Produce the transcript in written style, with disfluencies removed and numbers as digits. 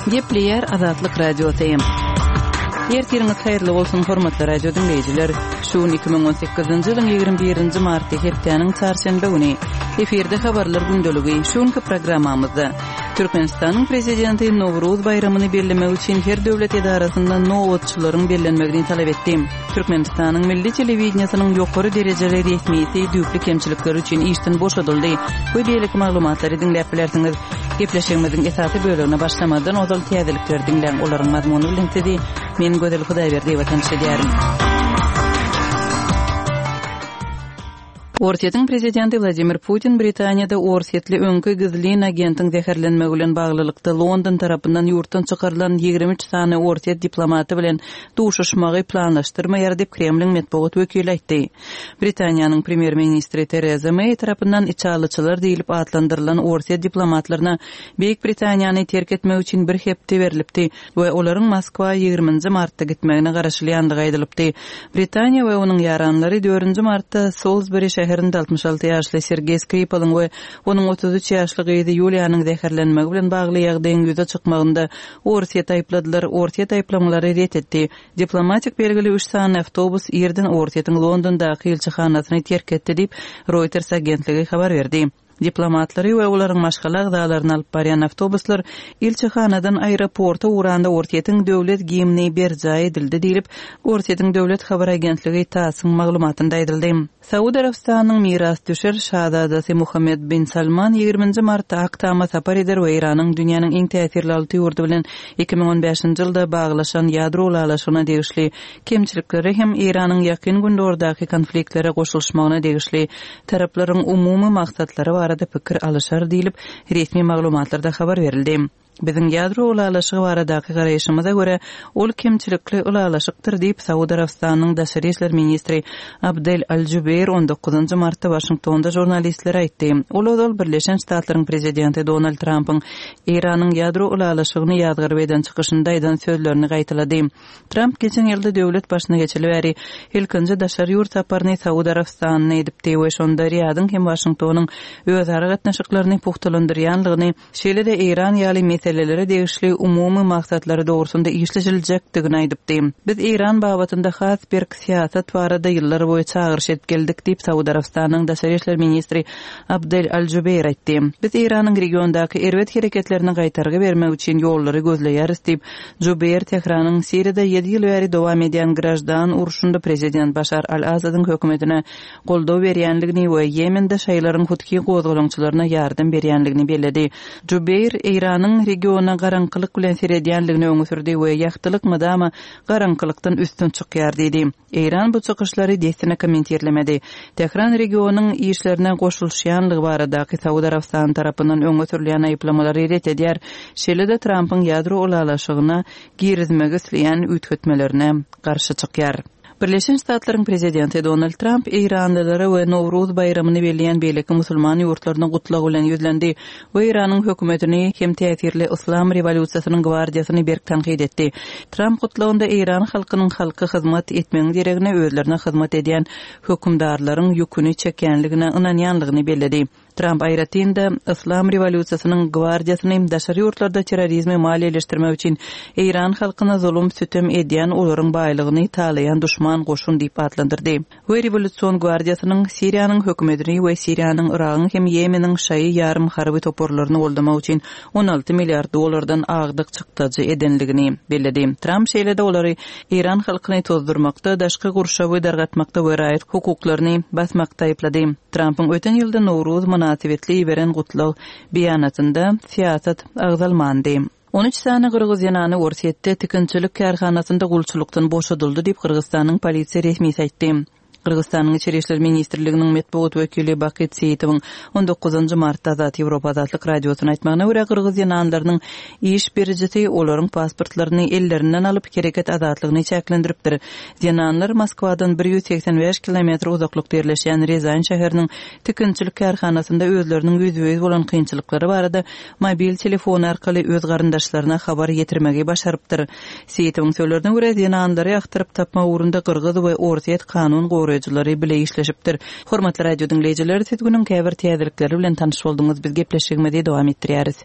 Gepleýär Azatlyk Radiosy. Ertiriňiz haýyrly bolsun, hormatly radio diňleýjiler. Şu gün 2018-nji ýylyň 21-nji marty, hepdäniň çarşenbe güni. Efirde habarlar gündeligi. Şu günki programmamyzda Türkmenistanyň Prezidenti Nowruz baýramyny bellemek üçin her döwlet edarasynda nobatçylaryň bellenmegini talap etdi. Türkmenistanyň milli telewideniýesiniň ýokary derejeli resmisi düýpli kemçilikleri üçin işden boşadyldy we beýleki maglumatlary diňläp bilersiňiz. Gepleşigimiziň esasy bölegine başlamazdan ozal täzelikleri diňläň, olaryň mazmuny bilen sizi men Gözel Hudaýberdiýewa tanyş edýärin. Orsýetiň prezidenti Wladimir Putin Britaniýada orsýetli öňki gizlin agentiň zäherlenmegi bilen baglylykda London tarapyndan ýurtdan çykarylan 23 sany orsýet diplomaty bilen duşuşmagy planlaşdyrmaýar diýip, Kremliň metbugat wekili aýtdy. Britaniýanyň premýer-ministri Tereza Meý tarapyndan içalyçylar diýlip atlandyrylan orsýet diplomatlaryna Beýik Britaniýany terk etmek üçin bir hepde berlipdi. we olaryň Moskwa ýigriminji martda gitmegine garaşylýandygy aýdylypdy. Britaniýa we onuň ýaranlary dördünji martda Solsberi şäherinde 66 ýaşly Sergeý Skripalyň we onuň 33 ýaşly gyzy Ýuliýanyň zäherlenmegi bilen bagly ýagdaýyň ýüze çykmagynda Orsýeti aýypladylar. Orsýet aýyplamalary ret etdi. Diplomatik belgili üç sany awtobus irden Orsýetiň Londondaky ilçihanasyny terk etdi diýip, Reuters agentligi habar berdi. Diplomatlary we olaryň maşgala agzalaryny alyp barýan awtobuslar ilçihanadan aeroporta ugranda Orsýetiň döwlet gimni berjaý edildi diýlip, Orsýetiň döwlet habar agentligi TASS-yň maglumatynda aýdyldy. Saud Arabystanynyň mirasdüşer şazadasy Muhammed bin Salman ýigriminji martda Ak Tama sapar eder we Eýranyň dünýäniň iň täsirli alty ýurdy bilen 2015-nji ýylda baglaşan ýadro ylalaşygyna degişli kemçiliklere hem Eýranyň Ýakyn Gündogardaky konfliktlere goşulyşmagyna degişli Taraplaryň umumy maksatlary barada pikir alyşar diýlip, resmi maglumatlarda habar berildi. Biziň ýadro ylalaşygy baradaky garaýşymyza görä, ol kemçilikli ylalaşykdyr diýip, Saud Arabystanynyň daşary işler ministri Abdel Al-Jubeir on dokuzynjy martda Waşingtonda žurnalistlere aýtdy. Ol ozal Birleşen Ştatlaryň prezidenti Donald Trampyň Eýranyň ýadro ylalaşygyny ýazgaryp eden çykyşynda aýdan sözlerini gaýtalady. Tramp geçen ýylda döwlet başyna geçeli bäri ilkinji daşary ýurt saparyny Saud Arabystanyna edipdi we şonda Riýadyň hem Waşingtonyň özara gatnaşyklaryny pugtalandyrýanlygyny, şeýle-de Eýran ýaly meselelere degişli umumy maksatlary dogrusynda işleşiljekdigini aýdypdy. Biz Eýran babatynda has berk syýasat barada ýyllar boýy çagyryş edip geldik diýip, Saud Arabystanynyň daşary işler ministri Abdel Al-Jubeýr aýtdy. Biz Eýranyň regiondaky erbet hereketlerine gaýtargy bermek üçin ýollary gözleýäris diýip, Jubeýr Tähranyň Siriýada ýedi ýyl bäri dowam edýän graždan urşunda prezident Başar al-Asadyň hökümetine goldaw berýändigini we Ýemende şaýylaryň huthi gozgalaňçylaryna ýardam berýändigini belledi. Jubeýr Eýranyň regiona garaňkylyk bilen seredýändigini öňe sürdi we ýagtylyk mydama garaňkylykdan üstün çykýar diýdi. Eýran bu çykyşlary dessine kommentirlemedi. Tähran regionyň işlerine goşulyşýanlygy baradaky Saud Arabystany tarapyndan öňe sürülýän aýyplamalary ret edýär, şeýle-de Trampyň ýadro ylalaşygyna girizmegi isleýän üýtgetmelerine garşy çykýar. Birleşen Ştatlaryň prezidenti Donald Tramp eýranlylara we Nowruz baýramyny belleýän beýleki musulman ýurtlaryna gutlag bilen ýüzlendi. we Eýranyň hökümetini hem täsirli Yslam rewolýusiýasynyň gwardiýasyny berk tankyt etdi. Tramp gutlagynda eýran halkynyň halka hyzmat etmegiň deregine özlerine hyzmat edýän hökümdarlaryň ýüküni çekýänligine ynanýanlygyny belledi. Tramp aýratyn-da, Yslam rewolýusiýasynyň gwardiýasyny daşary ýurtlarda terrorizmi maliýeleşdirmek üçin eýran halkyna zulum-sütem edýän olaryň baýlygyny talaýan duşman goşun diýip atlandyrdy. we Rewolýusion gwardiýasynyň Siriýanyň hökümetini we Siriýanyň, Yragyň hem Ýemeniň şaýy ýarym harby toparlaryny goldamak üçin 16 milliard dollardan agdyk çykdajy edendigini belledi. Tramp şeýle-de olary eýran halkyny tozdurmakda, daşky gurşawy dargatmakda we raýat hukuklaryny basmakda aýyplady. Trampyň öten ýylda Nowruz mynasybetli iberen gutlag beýanatynda syýasat agzalmandy. 13 sany gyrgyz zenany Orsýetde tikinçilik kärhanasynda gulçulykdan boşadyldy diýip, Gyrgyzystanyň polisiýa resmisi aýtdy. Gyrgyzystanyň Içeri işler ministrliginiň metbugat wekili Bakyt Seýitowyň on dokuzynjy martda Azat Ýewropa Azatlyk Radiosyna aýtmagyna görä, gyrgyz zenanlarynyň iş berijisi olaryň pasportlaryny ellerinden alyp, hereket azatlygyny çäklendiripdir. Zenanlar Moskwadan 185 kilometr uzaklykda ýerleşýän Rýazan şäheriniň tikinçilik kärhanasynda özleriniň ýüzbe-ýüz bolan kynçylyklary barada mobil telefony arkaly öz garyndaşlaryna habar ýetirmegi başarypdyr. Seýitowyň sözlerine görä, zenanlary agtaryp tapmak ugrunda gyrgyz we orsýet kanun goraýjylary bile işleşipdir. Hormatly radio diňleýjiler, siz günüň käbir täzelikleri bilen tanyş bolduňyz, biz gepleşigimizi dowam etdirýäris.